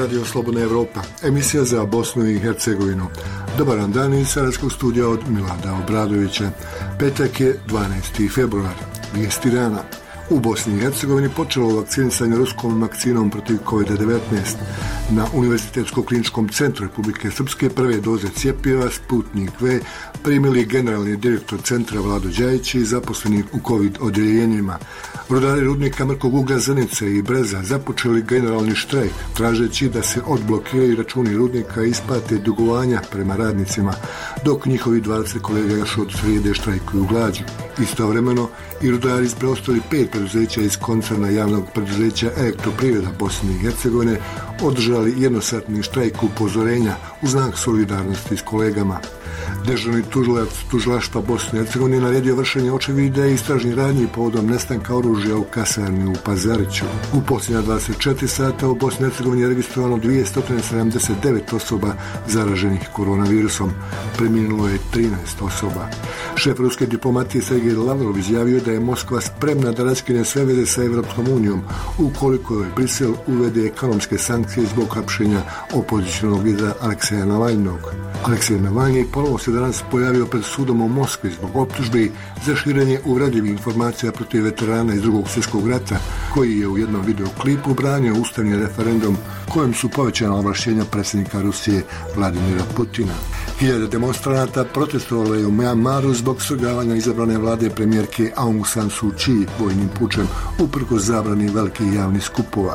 Radio Slobodna Evropa, emisija za Bosnu i Hercegovinu. Dobar vam dan iz Sarajevskog studija od Milada Obradovića. Petak je 12. februar, vijesti dana. U Bosni i Hercegovini počelo vakcinisanje ruskom vakcinom protiv COVID-19. Na Univerzitetsko-kliničkom centru Republike Srpske prve doze cjepiva Sputnik V primili generalni direktor centra Vlado Đajić i zaposleni u COVID odjeljenjima. Rudari rudnika mrkog uglja Zenice i Breza započeli generalni štrajk, tražeći da se odblokiraju računi rudnika i isplate dugovanja prema radnicima, dok njihovi 20 kolega još od srijede štrajkuju glađu. Istovremeno i rudari iz preostali 5 preduzeća iz koncerna javnog preduzeća Elektroprivreda Bosne i Hercegovine održali jednosatni štrajk upozorenja u znak solidarnosti s kolegama. Dežurni tužilac tužilaštva Bosne i Hercegovine naredio vršenje očevida i istražnih radnji povodom nestanka oružja u kasarni u Pazariću. U posljednja 24 sata u Bosni i Hercegovini je registrovano 279 osoba zaraženih koronavirusom. Preminulo je 13 osoba. Šef ruske diplomatije Sergej Lavrov izjavio da je Moskva spremna da raskine sve veze sa Evropskom unijom ukoliko je Brisel uvede ekonomske sankcije zbog hapšenja opozicionog lidera Alekseja Navalnog. Aleksej Navalni ponovo se danas pojavio pred sudom u Moskvi zbog optužbi za širenje uvredljivih informacija protiv veterana iz Drugog svjetskog rata, koji je u jednom videoklipu branio ustavni referendum kojem su povećana ovlašćenja predsjednika Rusije Vladimira Putina. Hiljade demonstranata protestovalo je u Myanmaru zbog svrgavanja izabrane vlade premijerke Aung San Suu Kyi vojnim pučem uprkos zabrani velikih javnih skupova.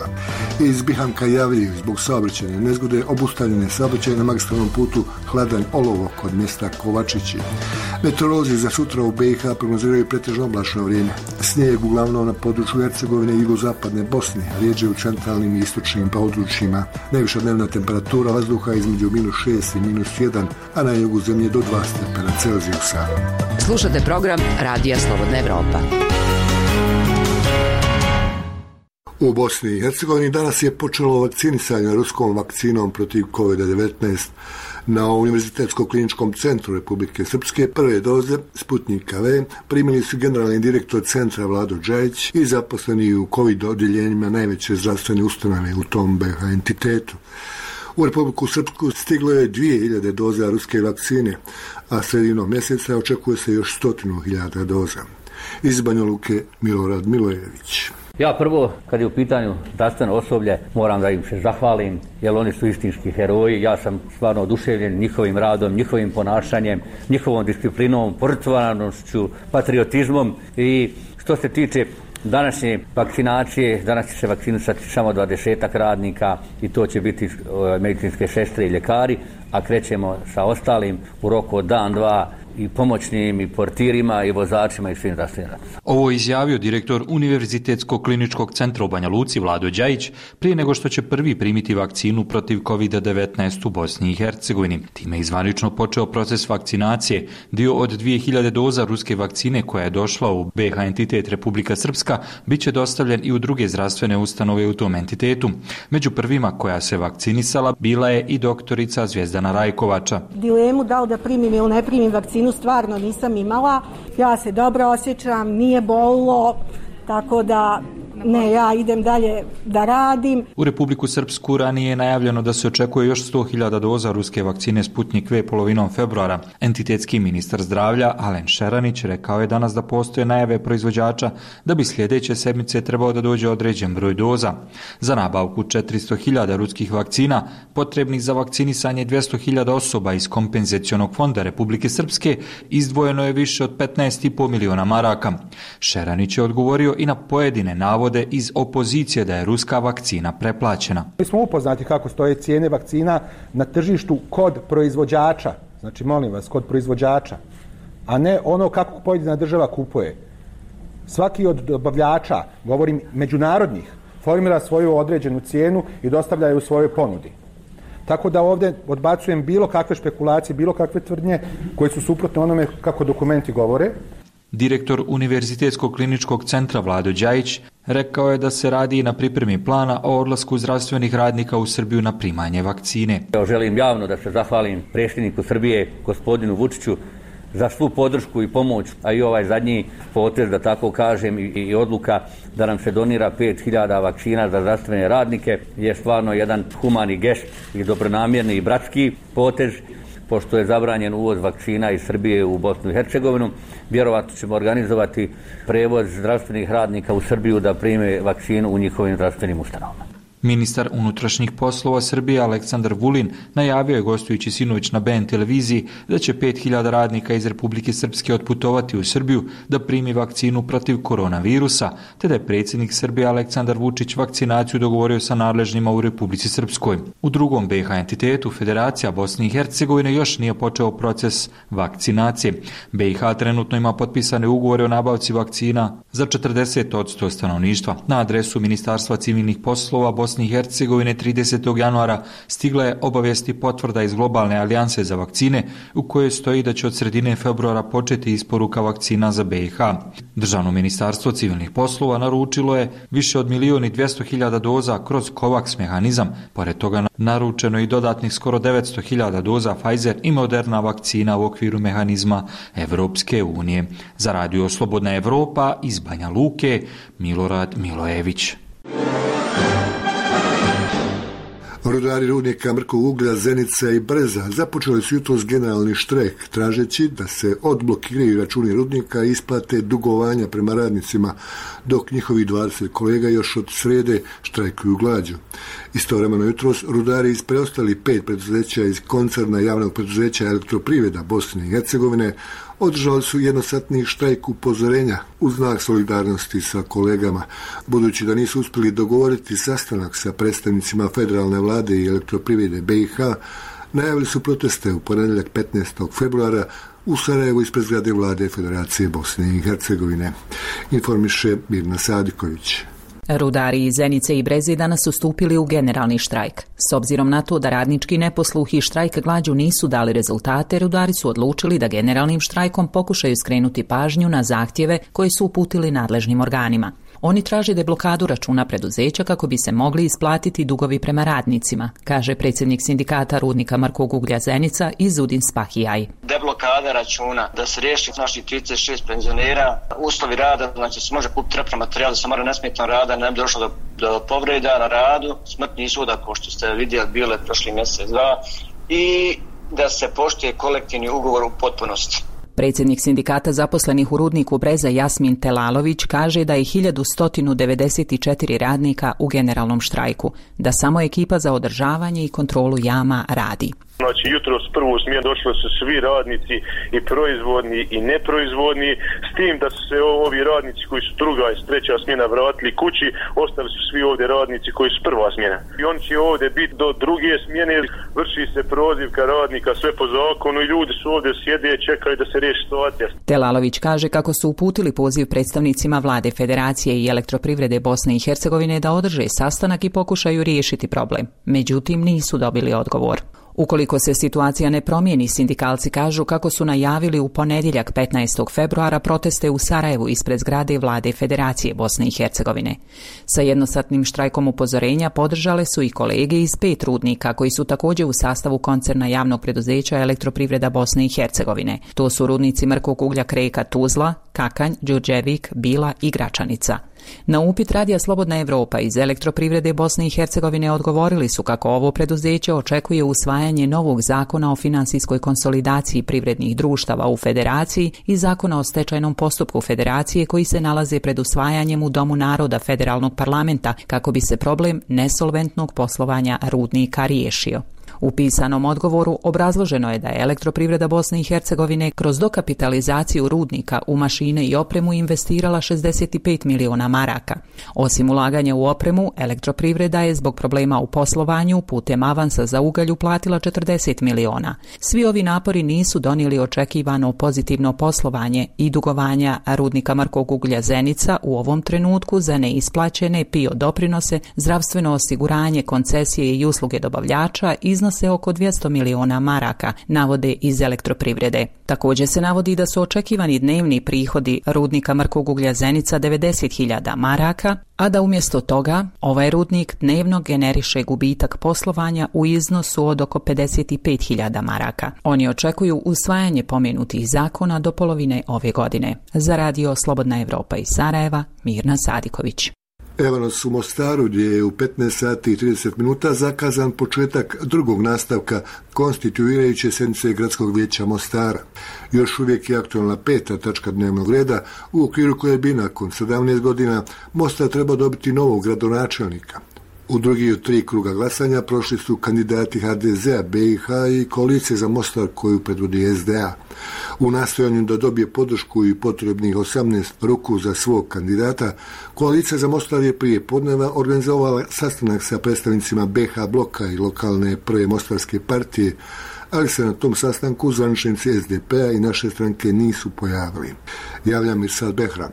Iz Bihanka javljaju zbog saobraćajne nezgode obustavljene saobraćaje na magistralnom putu Hladanj Olovo kod mjesta Kovačići. Meteorolozi za sutra u BiH prognoziraju pretežno oblačno vrijeme. Snijeg uglavnom na području Hercegovine i jugozapadne Bosne, rijeđe u centralnim i istočnim područjima. Najviša dnevna temperatura vazduha između -6 i -1, a na jugu zemlje do 2 stepena Celzijusa. Slušate program Radija Slobodna Evropa. U Bosni i Hercegovini danas je počelo vakcinisanje ruskom vakcinom protiv COVID-19. Na Univerzitetsko-kliničkom centru Republike Srpske prve doze Sputnika V primili su generalni direktor centra Vlado Đajić i zaposleni u COVID odjeljenjima najveće zdravstvene ustanove u tom BiH entitetu. U Republiku Srpsku stiglo je 2000 doza ruske vakcine, a sredinom mjeseca očekuje se još 100.000 doza. Iz Banja Luke Milorad Milojević. Ja prvo, kad je u pitanju zdravstveno osoblje, moram da im se zahvalim, jer oni su istinski heroji. Ja sam stvarno oduševljen njihovim radom, njihovim ponašanjem, njihovom disciplinom, požrtvovanošću, patriotizmom. I što se tiče današnje vakcinacije, danas će se vakcinisati samo 20 radnika i to će biti medicinske sestre i ljekari, a krećemo sa ostalim u roku od dan, dva, i pomoćnim, i portirima, i vozačima, i svim zdravstvenim radnicima. Ovo je izjavio direktor Univerzitetskog kliničkog centra u Banja Luci Vlado Đajić prije nego što će prvi primiti vakcinu protiv COVID-19 u Bosni i Hercegovini. Time je zvanično počeo proces vakcinacije. Dio od 2000 doza ruske vakcine koja je došla u BiH entitet Republika Srpska bit će dostavljen i u druge zdravstvene ustanove u tom entitetu. Među prvima koja se vakcinisala bila je i doktorica Zvjezdana Rajkovača. Dilemu da li da primim ili ne primim vakcinu stvarno nisam imala. Ja se dobro osjećam, nije bolilo, tako da ne, ja idem dalje da radim. U Republiku Srpsku ranije je najavljeno da se očekuje još 100.000 doza ruske vakcine Sputnik V polovinom februara. Entitetski ministar zdravlja Alen Šeranić rekao je danas da postoje najave proizvođača da bi sljedeće sedmice trebao da dođe određen broj doza. Za nabavku 400.000 ruskih vakcina potrebnih za vakcinisanje 200.000 osoba iz kompenzacionog fonda Republike Srpske izdvojeno je više od 15,5 miliona maraka. Šeranić je odgovorio i na pojedine navode iz opozicije da je ruska vakcina preplaćena. Mi smo upoznati kako stoje cijene vakcina na tržištu kod proizvođača. Znači, molim vas, kod proizvođača, a ne ono kako pojedina država kupuje. Svaki od dobavljača, govorim međunarodnih, formira svoju određenu cijenu i dostavlja je u svojoj ponudi. Tako da ovdje odbacujem bilo kakve špekulacije, bilo kakve tvrdnje koje su suprotne onome kako dokumenti govore. Direktor Univerzitetskog kliničkog centra Vlado Đajić rekao je da se radi i na pripremi plana o odlasku zdravstvenih radnika u Srbiju na primanje vakcine. Želim javno da se zahvalim predsjedniku Srbije, gospodinu Vučiću, za svu podršku i pomoć, a i ovaj zadnji potez, da tako kažem, i odluka da nam se donira 5000 vakcina za zdravstvene radnike je stvarno jedan humani gest i dobronamjerni i bratski potez. Pošto je zabranjen uvoz vakcina iz Srbije u Bosnu i Hercegovinu, vjerovatno ćemo organizovati prevoz zdravstvenih radnika u Srbiju da prime vakcinu u njihovim zdravstvenim ustanovama. Ministar unutrašnjih poslova Srbije Aleksandar Vulin najavio je gostujući sinoć na BN televiziji da će 5000 radnika iz Republike Srpske otputovati u Srbiju da primi vakcinu protiv koronavirusa, te da je predsjednik Srbije Aleksandar Vučić vakcinaciju dogovorio sa nadležnima u Republici Srpskoj. U drugom BiH entitetu Federacija Bosne i Hercegovine još nije počeo proces vakcinacije. BiH trenutno ima potpisane ugovore o nabavci vakcina za 40% stanovništva. Na adresu Ministarstva civilnih poslova Bosne i Hercegovine 30. januara stigla je obavijesti potvrda iz Globalne alijanse za vakcine u kojoj stoji da će od sredine februara početi isporuka vakcina za BiH. Državno ministarstvo civilnih poslova naručilo je više od 1.200.000 doza kroz COVAX mehanizam. Pored toga naručeno i dodatnih skoro 900.000 doza Pfizer i Moderna vakcina u okviru mehanizma Evropske unije. Za Radio Slobodna Evropa iz Banja Luke, Milorad Milojević. Rudari rudnika Mrkog uglja, Zenica i Breza započeli su jutros generalni štrajk, tražeći da se odblokiraju računi rudnika i isplate dugovanja prema radnicima, dok njihovi 20 kolega još od srede štrajkuju glađu. Istovremeno jutros rudari iz preostali 5 preduzeća iz koncerna javnog preduzeća Elektroprivreda Bosne i Hercegovine održali su jednosatni štrajk upozorenja u znak solidarnosti sa kolegama. Budući da nisu uspjeli dogovoriti sastanak sa predstavnicima federalne vlade i Elektroprivrede BiH, najavili su proteste u ponedjeljak 15. februara u Sarajevu ispred zgrade vlade Federacije Bosne i Hercegovine. Informiše Mirna Sadiković. Rudari iz Zenice i Breze danas su stupili u generalni štrajk. S obzirom na to da radnički neposluh i štrajk glađu nisu dali rezultate, rudari su odlučili da generalnim štrajkom pokušaju skrenuti pažnju na zahtjeve koje su uputili nadležnim organima. Oni traže deblokadu računa preduzeća kako bi se mogli isplatiti dugovi prema radnicima, kaže predsjednik sindikata rudnika Mrkog uglja Zenica Izudin Spahijaj. Deblokada računa, da se riješi naših 36 penzionera, uslovi rada, znači se može kupiti repromaterijal da se mora nesmetno rada, ne bi došlo do povreda na radu, smrtni ishoda, kao što ste vidjeli, bile prošli mjesec, dva, i da se poštuje kolektivni ugovor u potpunosti. Predsjednik sindikata zaposlenih u rudniku Breza Jasmin Telalović kaže da je 1194 radnika u generalnom štrajku, da samo ekipa za održavanje i kontrolu jama radi. Znači, jutros prvu smjenu došli su svi radnici i proizvodni i neproizvodni, s tim da su se ovi radnici koji su druga i treća smjena vratili kući, ostali su svi ovdje radnici koji su prva smjena. I oni će ovdje biti do druge smjene, vrši se prozivka radnika, sve po zakonu i ljudi su ovdje sjede i čekaju da se riješi situacija. Telalović kaže kako su uputili poziv predstavnicima vlade Federacije i Elektroprivrede Bosne i Hercegovine da održe sastanak i pokušaju riješiti problem. Međutim, nisu dobili odgovor. Ukoliko se situacija ne promijeni, sindikalci kažu kako su najavili u ponedjeljak 15. februara proteste u Sarajevu ispred zgrade vlade Federacije Bosne i Hercegovine. Sa jednosatnim štrajkom upozorenja podržale su i kolege iz 5 rudnika koji su također u sastavu koncerna javnog preduzeća Elektroprivreda Bosne i Hercegovine. To su rudnici Mrkog uglja Kreka Tuzla, Kakanj, Đurđevik, Bila i Gračanica. Na upit Radija Slobodna Evropa iz Elektroprivrede Bosne i Hercegovine odgovorili su kako ovo preduzeće očekuje usvajanje novog zakona o finansijskoj konsolidaciji privrednih društava u Federaciji i zakona o stečajnom postupku Federacije koji se nalaze pred usvajanjem u Domu naroda Federalnog parlamenta kako bi se problem nesolventnog poslovanja rudnika riješio. U pisanom odgovoru obrazloženo je da je Elektroprivreda Bosne i Hercegovine kroz dokapitalizaciju rudnika u mašine i opremu investirala 65 miliona maraka. Osim ulaganja u opremu, Elektroprivreda je zbog problema u poslovanju putem avansa za ugalj uplatila 40 miliona. Svi ovi napori nisu donijeli očekivano pozitivno poslovanje i dugovanja rudnika Mrkog uglja Zenica u ovom trenutku za neisplaćene PIO doprinose, zdravstveno osiguranje, koncesije i usluge dobavljača iznos iznose oko 200 miliona maraka, navode iz Elektroprivrede. Također se navodi da su očekivani dnevni prihodi rudnika mrkog uglja Zenica 90.000 maraka, a da umjesto toga ovaj rudnik dnevno generiše gubitak poslovanja u iznosu od oko 55.000 maraka. Oni očekuju usvajanje pomenutih zakona do polovine ove godine. Za radio Slobodna Evropa iz Sarajeva, Mirna Sadiković. Evo nas u Mostaru gdje je u 15 sati i 30 minuta zakazan početak drugog nastavka konstituirajuće sjednice Gradskog vijeća Mostara. Još uvijek je aktualna 5. tačka dnevnog reda u okviru koje bi nakon 17 godina Mostar treba dobiti novog gradonačelnika. U drugi od 3 kruga glasanja prošli su kandidati HDZ-a, BiH i koalicije za Mostar koju predvodi SDA. U nastojanju da dobije podršku i potrebnih 18 ruku za svog kandidata, koalicija za Mostar je prije podneva organizovala sastanak sa predstavnicima BiH bloka i lokalne prve mostarske partije, ali se na tom sastanku zvaničnici SDP-a i naše stranke nisu pojavili. Javlja Mirsad Behram.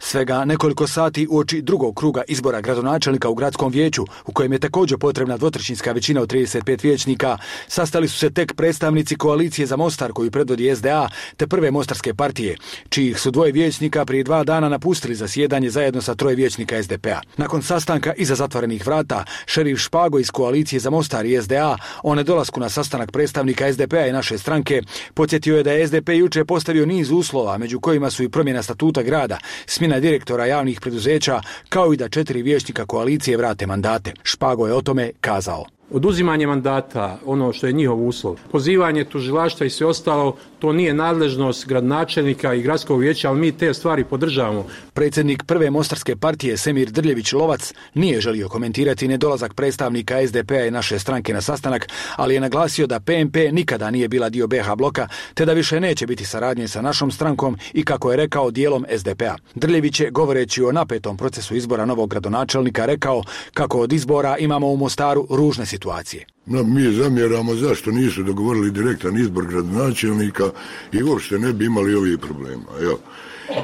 Svega nekoliko sati uoči drugog kruga izbora gradonačelnika u gradskom vijeću, u kojem je također potrebna dvotrećinska većina od 35 vijećnika, sastali su se tek predstavnici koalicije za Mostar koju predvodi SDA te prve mostarske partije, čijih su 2 vijećnika prije 2 dana napustili zasjedanje zajedno sa 3 vijećnika SDP-a. Nakon sastanka iza zatvorenih vrata, šerif Špago iz koalicije za Mostar i SDA o nedolasku na sastanak predstavnika SDP-a i naše stranke podsjetio je da je SDP jučer postavio niz uslova, među kojima su i promjena statuta grada, smjena direktora javnih preduzeća, kao i da 4 vijećnika koalicije vrate mandate. Špago je o tome kazao. Oduzimanje mandata, ono što je njihov uslov, pozivanje tužilaštva i sve ostalo, to nije nadležnost gradonačelnika i gradskog vijeća, ali mi te stvari podržavamo. Predsjednik prve mostarske partije Semir Drljević-Lovac nije želio komentirati nedolazak predstavnika SDP-a i naše stranke na sastanak, ali je naglasio da PMP nikada nije bila dio BiH bloka, te da više neće biti saradnje sa našom strankom i, kako je rekao, dijelom SDP-a. Drljević je, govoreći o napetom procesu izbora novog gradonačelnika, rekao kako od izbora imamo u Mostaru ružne situacije. Mi zamjeramo zašto nisu dogovorili direktan izbor gradonačelnika i uopšte ne bi imali ovih problema. Evo.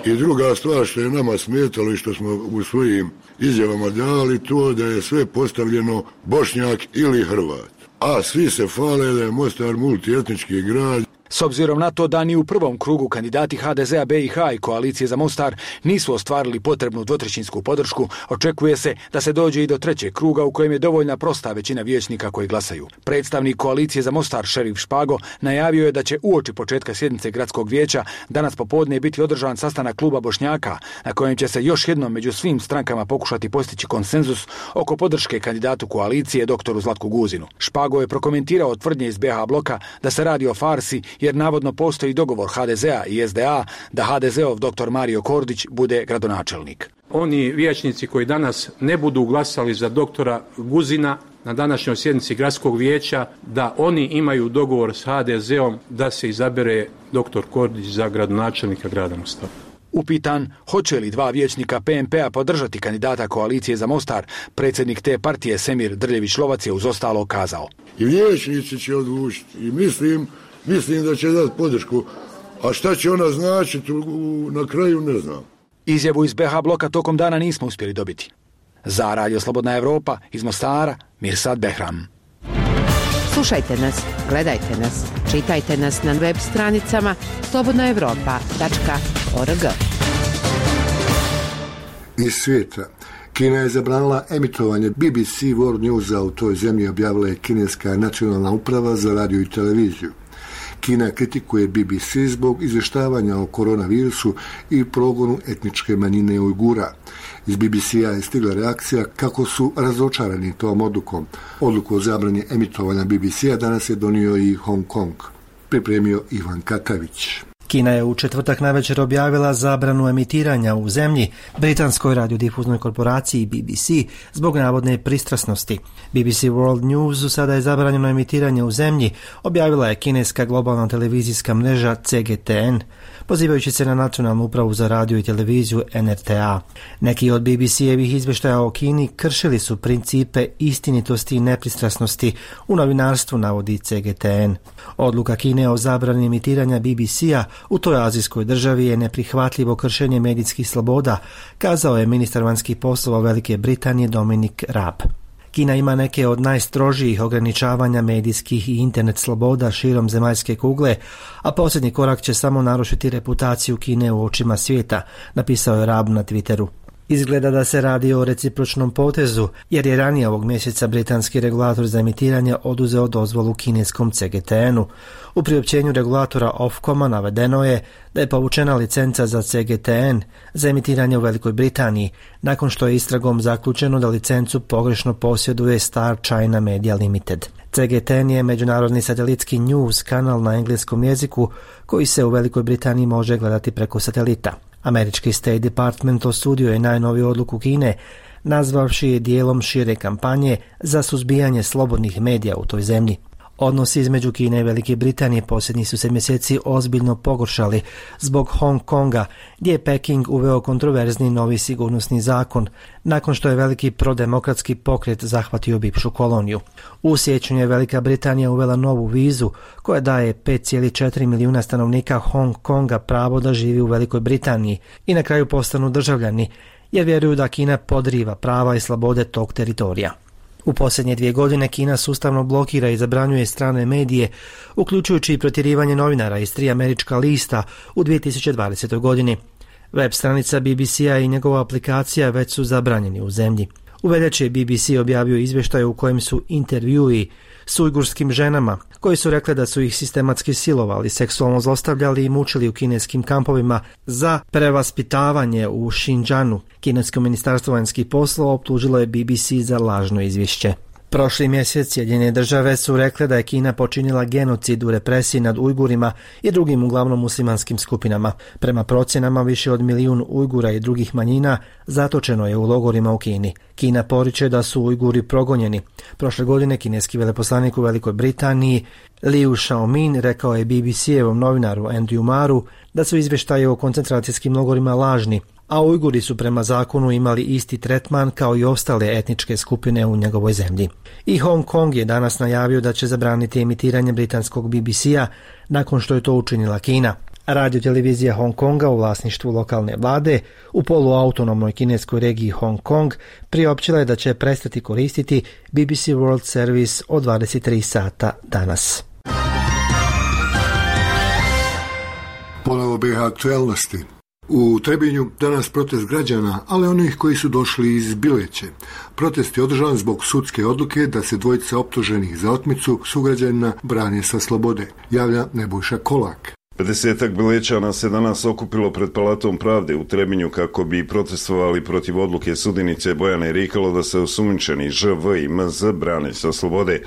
I druga stvar što je nama smetalo i što smo u svojim izjavama dali, to da je sve postavljeno Bošnjak ili Hrvat. A svi se hvale da je Mostar multietnički grad. S obzirom na to da ni u prvom krugu kandidati HDZ-a, BiH i koalicije za Mostar nisu ostvarili potrebnu dvotrećinsku podršku, očekuje se da se dođe i do 3. kruga u kojem je dovoljna prosta većina vijećnika koji glasaju. Predstavnik koalicije za Mostar, šerif Špago, najavio je da će uoči početka sjednice gradskog vijeća danas popodne biti održan sastanak kluba Bošnjaka, na kojem će se još jednom među svim strankama pokušati postići konsenzus oko podrške kandidatu koalicije doktoru Zlatku Guzinu. Špago je prokomentirao tvrdnje iz BiH bloka da se radi o farsi, jer navodno postoji dogovor HDZ-a i SDA da HDZ-ov dr. Mario Kordić bude gradonačelnik. Oni vijećnici koji danas ne budu glasali za doktora Guzina na današnjoj sjednici gradskog vijeća, da oni imaju dogovor s HDZ-om da se izabere dr. Kordić za gradonačelnika grada Mostara. Upitan hoće li 2 vijećnika PMP-a podržati kandidata koalicije za Mostar, predsjednik te partije Semir Drljević-Lovac je uz ostalo kazao. I vijećnici će odlučiti i mislim da će dati podršku, a šta će ona značiti na kraju ne znam. Izjavu iz BiH bloka tokom dana nismo uspjeli dobiti. Za Radio Slobodna Evropa iz Mostara, Mirsad Behram. Slušajte nas, gledajte nas, čitajte nas na web stranicama slobodnaevropa.org. Iz svijeta. Kina je zabranila emitovanje BBC World Newsa u toj zemlji, objavila je kineska nacionalna uprava za radio i televiziju. Kina kritikuje BBC zbog izvještavanja o koronavirusu i progonu etničke manjine Ujgura. Iz BBC-a je stigla reakcija kako su razočarani tom odlukom. Odluku o zabrani emitovanja BBC-a danas je donio i Hong Kong. Pripremio Ivan Katavić. Kina je u četvrtak navečer objavila zabranu emitiranja u zemlji britanskoj radiodifuznoj korporaciji BBC zbog navodne pristrasnosti. BBC World News sada je zabranjeno emitiranje u zemlji, objavila je kineska globalna televizijska mreža CGTN, pozivajući se na nacionalnu upravu za radio i televiziju NRTA. Neki od BBC-evih izvještaja o Kini kršili su principe istinitosti i nepristrasnosti u novinarstvu, navodi CGTN. Odluka Kine o zabrani emitiranja BBC-a u toj azijskoj državi je neprihvatljivo kršenje medijskih sloboda, kazao je ministar vanjskih poslova Velike Britanije Dominic Raab. Kina ima neke od najstrožijih ograničavanja medijskih i internet sloboda širom zemaljske kugle, a posljednji korak će samo narušiti reputaciju Kine u očima svijeta, napisao je Raab na Twitteru. Izgleda da se radi o recipročnom potezu, jer je ranije ovog mjeseca britanski regulator za emitiranje oduzeo dozvolu kineskom CGTN-u. U priopćenju regulatora Ofcoma navedeno je da je povučena licenca za CGTN za emitiranje u Velikoj Britaniji, nakon što je istragom zaključeno da licencu pogrešno posjeduje Star China Media Limited. CGTN je međunarodni satelitski news kanal na engleskom jeziku koji se u Velikoj Britaniji može gledati preko satelita. Američki State Department osudio je najnoviju odluku Kine, nazvavši je dijelom šire kampanje za suzbijanje slobodnih medija u toj zemlji. Odnosi između Kine i Velike Britanije posljednjih su se mjeseci ozbiljno pogoršali zbog Hong Konga, gdje je Peking uveo kontroverzni novi sigurnosni zakon, nakon što je veliki prodemokratski pokret zahvatio bivšu koloniju. U siječnju je Velika Britanija uvela novu vizu koja daje 5,4 milijuna stanovnika Hong Konga pravo da živi u Velikoj Britaniji i na kraju postanu državljani, jer vjeruju da Kina podriva prava i slobode tog teritorija. U posljednje 2 godine Kina sustavno blokira i zabranjuje strane medije, uključujući i protjerivanje novinara iz 3 američka lista u 2020. godini. Web stranica BBC-a i njegova aplikacija već su zabranjeni u zemlji. U veljači je BBC objavio izvještaj u kojem su intervjui s ujgurskim ženama, koji su rekle da su ih sistematski silovali, seksualno zlostavljali i mučili u kineskim kampovima za prevaspitavanje u Xinjiangu. Kinesko ministarstvo vanjskih poslova optužilo je BBC za lažno izvješće. Prošli mjesec Sjedinjene države su rekle da je Kina počinila genocid u represiji nad Ujgurima i drugim uglavnom muslimanskim skupinama. Prema procjenama više od 1 milijun Ujgura i drugih manjina zatočeno je u logorima u Kini. Kina poriče da su Ujguri progonjeni. Prošle godine kineski veleposlanik u Velikoj Britaniji Liu Xiaomin rekao je BBC-evom novinaru Andrew Maru da su izvještaje o koncentracijskim logorima lažni, a Ujguri su prema zakonu imali isti tretman kao i ostale etničke skupine u njegovoj zemlji. I Hong Kong je danas najavio da će zabraniti emitiranje britanskog BBC-a nakon što je to učinila Kina. Radio-televizija Hong Konga u vlasništvu lokalne vlade u poluautonomnoj kineskoj regiji Hong Kong priopćila je da će prestati koristiti BBC World Service od 23 sata danas. Ponovo BiH aktualnosti. U Trebinju danas protest građana, ali onih koji su došli iz Bileće. Protest je održan zbog sudske odluke da se dvojica optuženih za otmicu sugrađanina brane sa slobode, javlja Nebojša Kolak. 50-ak Bilećana se danas okupilo pred Palatom pravde u Trebinju kako bi protestovali protiv odluke sudinice Bojane Rikalo da se osumnjičeni ŽV i MZ brane sa slobode.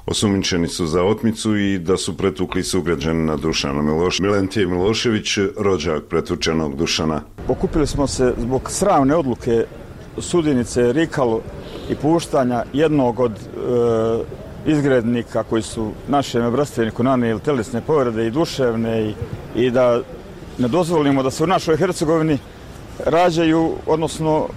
Osumnjičeni su za otmicu i da su pretukli sugrađanina Dušana Miloševića. Milentije Milošević, rođak pretučenog Dušana. Okupili smo se zbog sramne odluke sudinice Rikalo i puštanja jednog od izgrednika koji su našem bratstevniku nanijeli telesne povrede i duševne i da ne dozvolimo da se u našoj Hercegovini rađaju, odnosno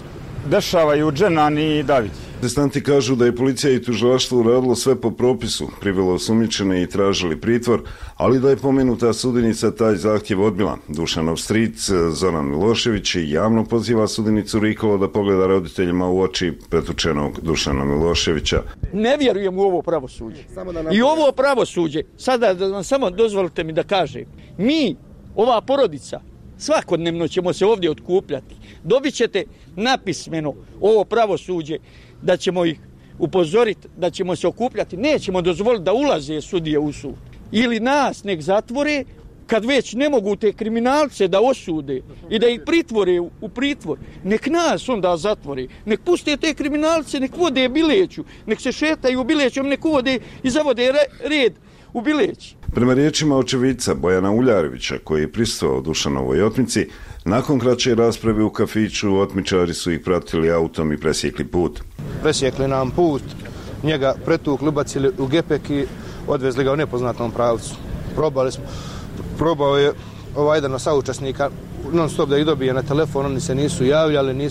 dešavaju Dženani i Davidi. Protestanti kažu da je policija i tužilaštvo uradilo sve po propisu, privelo osumnjičene i tražili pritvor, ali da je pomenuta sudinica taj zahtjev odbila. Dušanov stric Zoran Milošević javno poziva sudinicu Rikalo da pogleda roditeljima u oči pretučenog Dušana Miloševića. Ne vjerujem u ovo pravosuđe. I ovo pravosuđe, sada samo dozvolite mi da kažem, mi, ova porodica, svakodnevno ćemo se ovdje otkupljati. Dobit ćete napismeno ovo pravosuđe da ćemo ih upozoriti, da ćemo se okupljati. Nećemo dozvoliti da ulaze sudije u sud. Ili nas nek zatvore, kad već ne mogu te kriminalce da osude i da ih pritvore u pritvor. Nek nas onda zatvore. Nek puste te kriminalce, nek vode Bileću, nek se šetaju u Bilećom, nek uvode i zavode red u Bileći. Prema riječima očevica Bojana Uljarevića, koji je prisustvovao Dušanovoj otmici, nakon kraće rasprave u kafiću otmičari su ih pratili autom i presjekli put. Presjekli nam put, njega pretukli, ubacili u gepek i odvezli ga u nepoznatom pravcu. Probao je jedan od saučesnika non stop da ih dobije na telefon, oni se nisu javljali,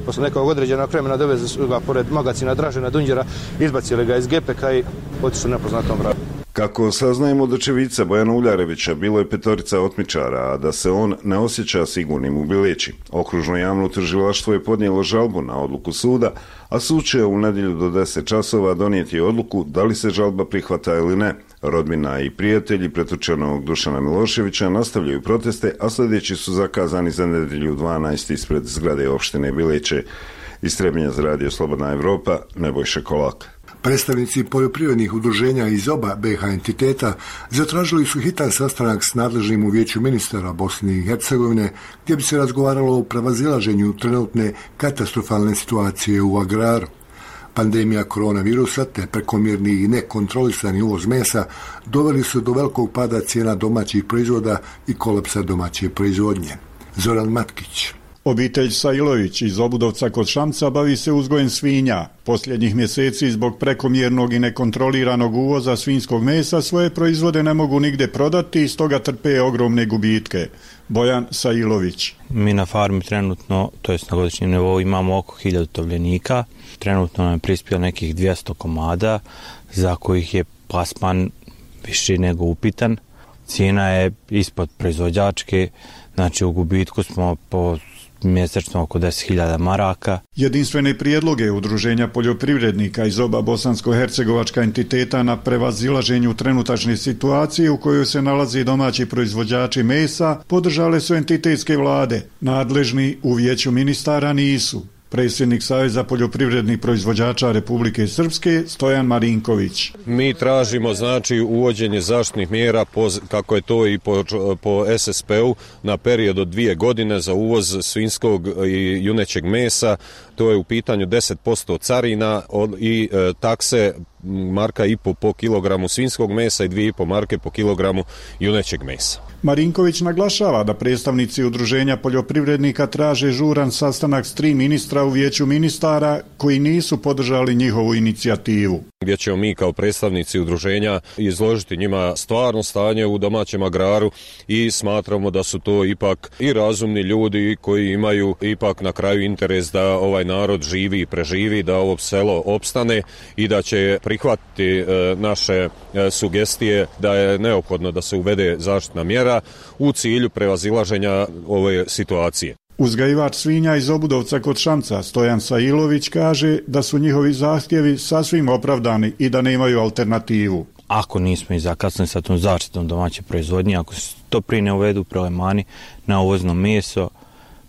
posle nekog određenog vremena doveze su ga pored magacina Dražena Dunđera, izbacili ga iz gepeka i otišli u nepoznatom pravcu. Kako saznajemo od očevica Bojana Uljarevića, bilo je 5 otmičara, a da se on ne osjeća sigurnim u Bileći. Okružno javno tužilaštvo je podnijelo žalbu na odluku suda, a sud će u nedjelju do 10 časova donijeti odluku da li se žalba prihvata ili ne. Rodbina i prijatelji pretučenog Dušana Miloševića nastavljaju proteste, a sljedeći su zakazani za nedjelju 12 ispred zgrade opštine Bileće. Iz Trebinja za Radio Slobodna Evropa, Nebojša Kolak. Predstavnici poljoprivrednih udruženja iz oba BiH entiteta zatražili su hitan sastanak s nadležnim u Vijeću ministara Bosne i Hercegovine, gdje bi se razgovaralo o prevazilaženju trenutne katastrofalne situacije u agraru. Pandemija koronavirusa te prekomjerni i nekontrolisani uvoz mesa doveli su do velikog pada cijena domaćih proizvoda i kolapsa domaće proizvodnje. Zoran Matkić. Obitelj Sajlović iz Obudovca kod Šamca bavi se uzgojem svinja. Posljednjih mjeseci zbog prekomjernog i nekontroliranog uvoza svinjskog mesa svoje proizvode ne mogu nigde prodati i stoga trpe ogromne gubitke. Bojan Sajlović. Mi na farmi trenutno, to jest na godišnjem nivou, imamo oko 1000 tovljenika. Trenutno nam je prispio nekih 200 komada za kojih je plasman više nego upitan. Cijena je ispod proizvođačke, znači u gubitku smo po mjesečno oko 10.000 maraka. Jedinstvene prijedloge Udruženja poljoprivrednika iz oba bosansko-hercegovačka entiteta na prevazilaženju trenutačne situacije u kojoj se nalazi domaći proizvođači mesa podržale su entitetske vlade. Nadležni u Vijeću ministara nisu. Predsjednik Saveza poljoprivrednih proizvođača Republike Srpske Stojan Marinković. Mi tražimo znači uvođenje zaštitnih mjera kako je to i po SSP-u na period od 2 godine za uvoz svinjskog i junećeg mesa. To je u pitanju 10% carina i takse marka i po kilogramu svinjskog mesa i 2,5 marke po kilogramu junećeg mesa. Marinković naglašava da predstavnici Udruženja poljoprivrednika traže žuran sastanak s 3 ministra u Vijeću ministara koji nisu podržali njihovu inicijativu. Gdje ćemo mi kao predstavnici udruženja izložiti njima stvarno stanje u domaćem agraru i smatramo da su to ipak i razumni ljudi koji imaju ipak na kraju interes da ovaj narod živi i preživi, da ovo selo opstane i da će prihvatiti naše sugestije da je neophodno da se uvede zaštitna mjera u cilju prevazilaženja ove situacije. Uzgajivač svinja iz Obudovca kod Šamca Stojan Sajlović kaže da su njihovi zahtjevi sasvim opravdani i da nemaju alternativu. Ako nismo i zakasnili sa tom zaštitom domaće proizvodnje, ako se to prije ne uvedu prelevmani na uvozno meso,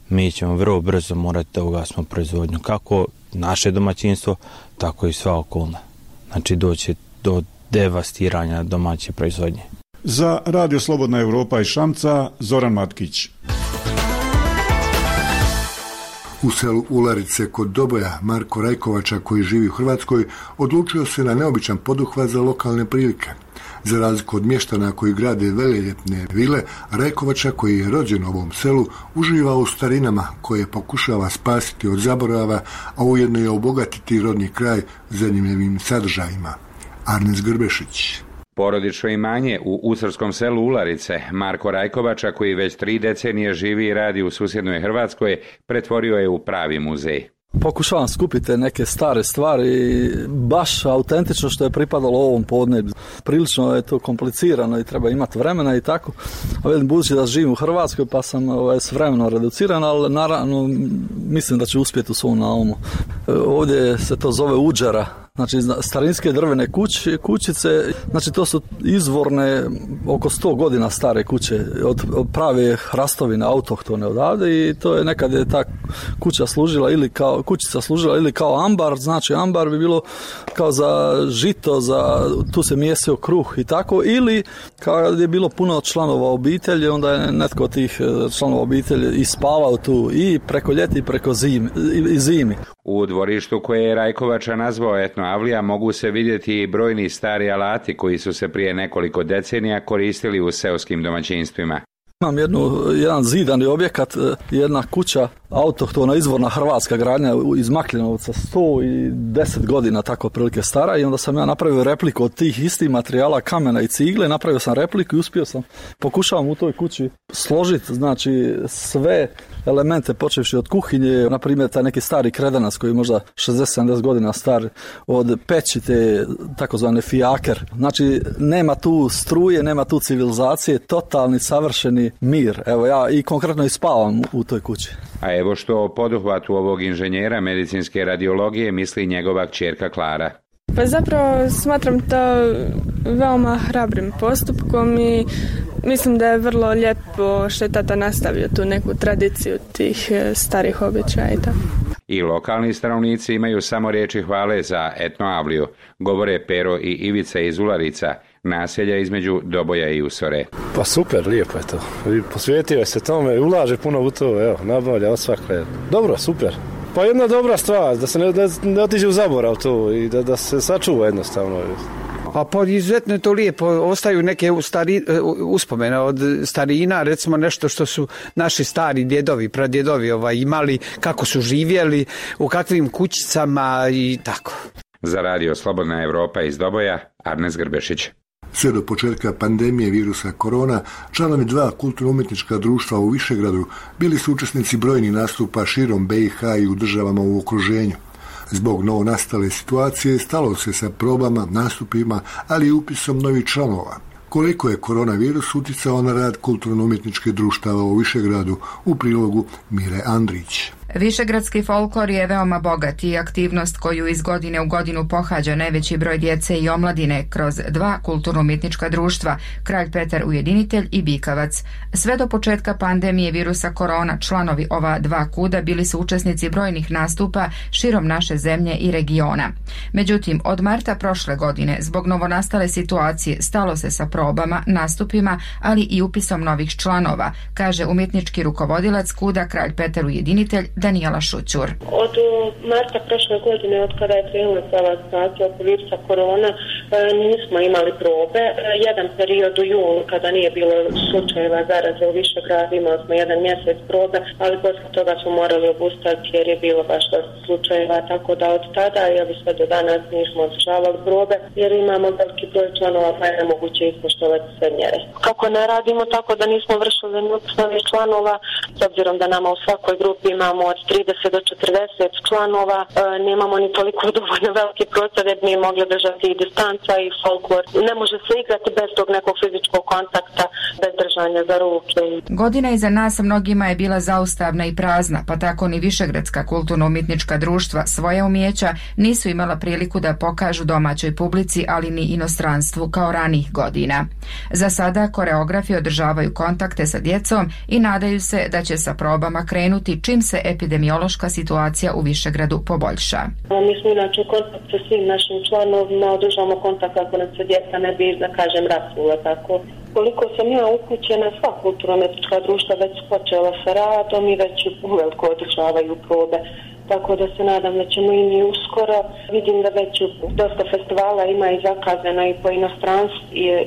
mi ćemo vrlo brzo morati da ugasimo proizvodnju, kako naše domaćinstvo, tako i sva okolna. Znači doće do devastiranja domaće proizvodnje. Za Radio Slobodna Evropa iz Šamca, Zoran Matkić. U selu Ularice kod Doboja Marko Rajkovača, koji živi u Hrvatskoj, odlučio se na neobičan poduhvat za lokalne prilike. Za razliku od mještana koji grade veleljepne vile, Rajkovača, koji je rođen u ovom selu, uživa u starinama koje pokušava spasiti od zaborava, a ujedno je obogatiti rodni kraj zanimljivim sadržajima. Arnes Grbešić. Porodično imanje u usrskom selu Ularice Marko Rajkovača, koji već 3 decenije živi i radi u susjednoj Hrvatskoj, pretvorio je u pravi muzej. Pokušavam skupiti neke stare stvari, baš autentično što je pripadalo ovom podneblju. Prilično je to komplicirano i treba imati vremena i tako. A velim, budući da živim u Hrvatskoj pa sam s vremenom reduciran, ali naravno mislim da ću uspjeti u svom naumu. Ovdje se to zove uđera. Znači starinske drvene kućice, znači to su izvorne oko 100 godina stare kuće od prave hrastovine autohtone odavde i to je nekad je ta kućica služila ili kao ambar, znači ambar bi bilo kao za žito, tu se mijesio kruh i tako, ili kad je bilo puno članova obitelji, onda je netko od tih članova obitelji i spavao tu i preko ljeti i preko zimi. U dvorištu koje je Rajkovača nazvao Etno Avlija mogu se vidjeti i brojni stari alati koji su se prije nekoliko decenija koristili u seoskim domaćinstvima. Imam jedan zidani objekat, jedna kuća autohtona izvorna hrvatska gradnja iz Makljanovca, 110 godina tako prilike stara, i onda sam ja napravio repliku od tih istih materijala, kamena i cigle, napravio sam repliku i uspio sam, pokušavam u toj kući složiti, znači, sve elemente počevši od kuhinje, na primjer taj neki stari kredanac koji je možda 60-70 godina star, od peći te takozvane fijaker. Znači, nema tu struje, nema tu civilizacije, totalni savršeni mir. Evo, ja i konkretno i spavam u toj kući. A evo što o poduhvatu ovog inženjera medicinske radiologije misli njegova kćerka Klara. Pa zapravo smatram to veoma hrabrim postupkom i mislim da je vrlo lijepo što je tata nastavio tu neku tradiciju tih starih običaja i tako. I lokalni stanovnici imaju samo riječi hvale za etnoavliju, govore Pero i Ivica iz Ularica, naselja između Doboja i Usore. Pa super, lijepo je to. Posvetio se tome, ulaže puno u to, evo, nabavlja osvakle. Dobro, super. Pa jedna dobra stvar, da se ne otiđe u zaborav to i da se sačuva jednostavno. A pa izuzetno je to lijepo, ostaju neke uspomene od starina, recimo nešto što su naši stari djedovi, pradjedovi imali, kako su živjeli, u kakvim kućicama i tako. Za radio Slobodna Evropa iz Doboja, Arnes Grbešić. Sve do početka pandemije virusa korona, članovi 2 kulturno-umjetnička društva u Višegradu bili su učesnici brojnih nastupa širom BiH i u državama u okruženju. Zbog novonastale situacije stalo se sa probama, nastupima, ali i upisom novih članova. Koliko je koronavirus utjecao na rad kulturno-umjetničke društava u Višegradu, u prilogu Mire Andrić. Višegradski folklor je veoma bogat i aktivnost koju iz godine u godinu pohađa najveći broj djece i omladine kroz 2 kulturno-umjetnička društva, Kralj Petar Ujedinitelj i Bikavac. Sve do početka pandemije virusa korona, članovi ova 2 kuda bili su učesnici brojnih nastupa širom naše zemlje i regiona. Međutim, od marta prošle godine, zbog novonastale situacije, stalo se sa probama, nastupima, ali i upisom novih članova, kaže umjetnički rukovodilac kuda Kralj Petar Ujedinitelj Danijela Šućur. Od marta prošle godine, od kada je krenula ova situacija oko virusa korona, nismo imali probe. Jedan period u julu, kada nije bilo slučajeva zaraze u Višegradu, imali smo 1 mjesec probe, ali posle toga smo morali obustaviti jer je bilo baš dosta slučajeva, tako da od tada, sve do danas nismo održavali probe, jer imamo veliki broj članova, pa je nemoguće ispoštovati sve mjere. Kako ne radimo tako da nismo vršili novih članova, s obzirom da nama u svakoj grupi imamo od 30 do 40 članova, nemamo ni toliko dovoljno veliki prostor da bi mogli držati i distanca i folklor. Ne može se igrati bez tog nekog fizičkog kontakta, bez držanja za ruke. Godina iza nas mnogima je bila zaustavna i prazna, pa tako ni Višegradska kulturno-umjetnička društva svoja umijeća nisu imala priliku da pokažu domaćoj publici, ali ni inostranstvu kao ranih godina. Za sada koreografi održavaju kontakte sa djecom i nadaju se da će sa probama krenuti čim se epidemiološka situacija u Višegradu poboljša. Mi smo inače u kontakt sa svim našim članovima, održavamo kontakt kako nam se djeca ne bi, da kažem, rasula tako. Koliko sam ja upućena, sva kulturno-umjetnička društva već počela sa radom i već uveliko održavaju probe. Tako da se nadam da ćemo i mi uskoro. Vidim da već dosta festivala ima i zakazana i po inostranstvu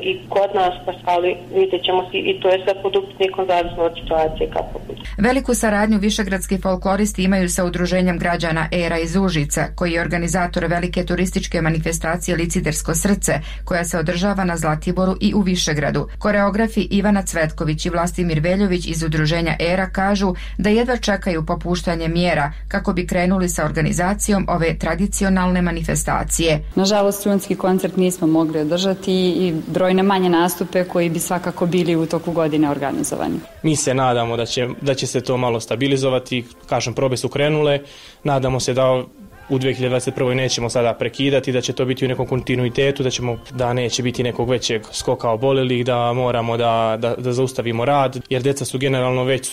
i kod nas, ali vidjet ćemo i to je sve pod upitnikom zavisno od situacije kako bude. Veliku saradnju višegradski folkloristi imaju sa udruženjem građana Era iz Užica, koji je organizator velike turističke manifestacije Licidersko srce, koja se održava na Zlatiboru i u Višegradu. Koreografi Ivana Cvetković i Vlastimir Veljović iz udruženja Era kažu da jedva čekaju popuštanje mjera kako bi krenuli sa organizacijom ove tradicionalne manifestacije. Nažalost, studentski koncert nismo mogli održati i brojne manje nastupe koji bi svakako bili u toku godine organizovani. Mi se nadamo da će se to malo stabilizovati, kažem, probe su krenule, nadamo se da u 2021. nećemo sada prekidati, da će to biti u nekom kontinuitetu, da neće biti nekog većeg skoka oboljelih, da moramo da zaustavimo rad, jer djeca su generalno već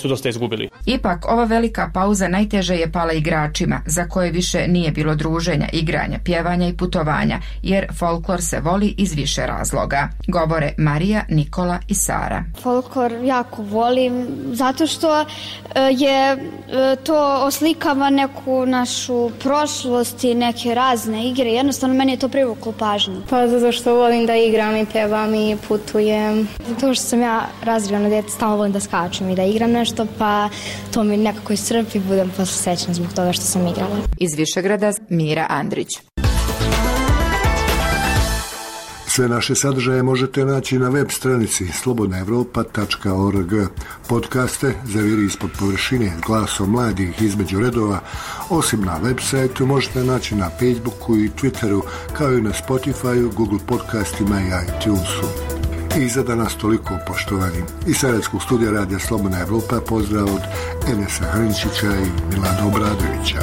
su dosta izgubili. Ipak, ova velika pauza najteže je pala igračima, za koje više nije bilo druženja, igranja, pjevanja i putovanja, jer folklor se voli iz više razloga. Govore Marija, Nikola i Sara. Folklor jako volim, zato što je to oslikava neku našu prošlost i neke razne igre. Jednostavno meni je to privuklo pažnju. Pa zato što volim da igram i pevam i putujem. Zato što sam ja razvijena djete, stalno volim da skačem i da igram nešto, pa to mi nekako iscrpi, budem posle srećna zbog toga što sam igrala. Iz Višegrada Mira Andrić. Sve naše sadržaje možete naći na web stranici slobodnaevropa.org. Podcaste Zaviri ispod površine s glasom mladih između redova, osim na web sajtu, možete naći na Facebooku i Twitteru, kao i na Spotifyu, Google podcastima i iTunesu. I za danas toliko, poštovani. Iz Sarajevskog studija Radija Slobodna Evropa pozdrav od Enesa Hrinčića i Milana Obradovića.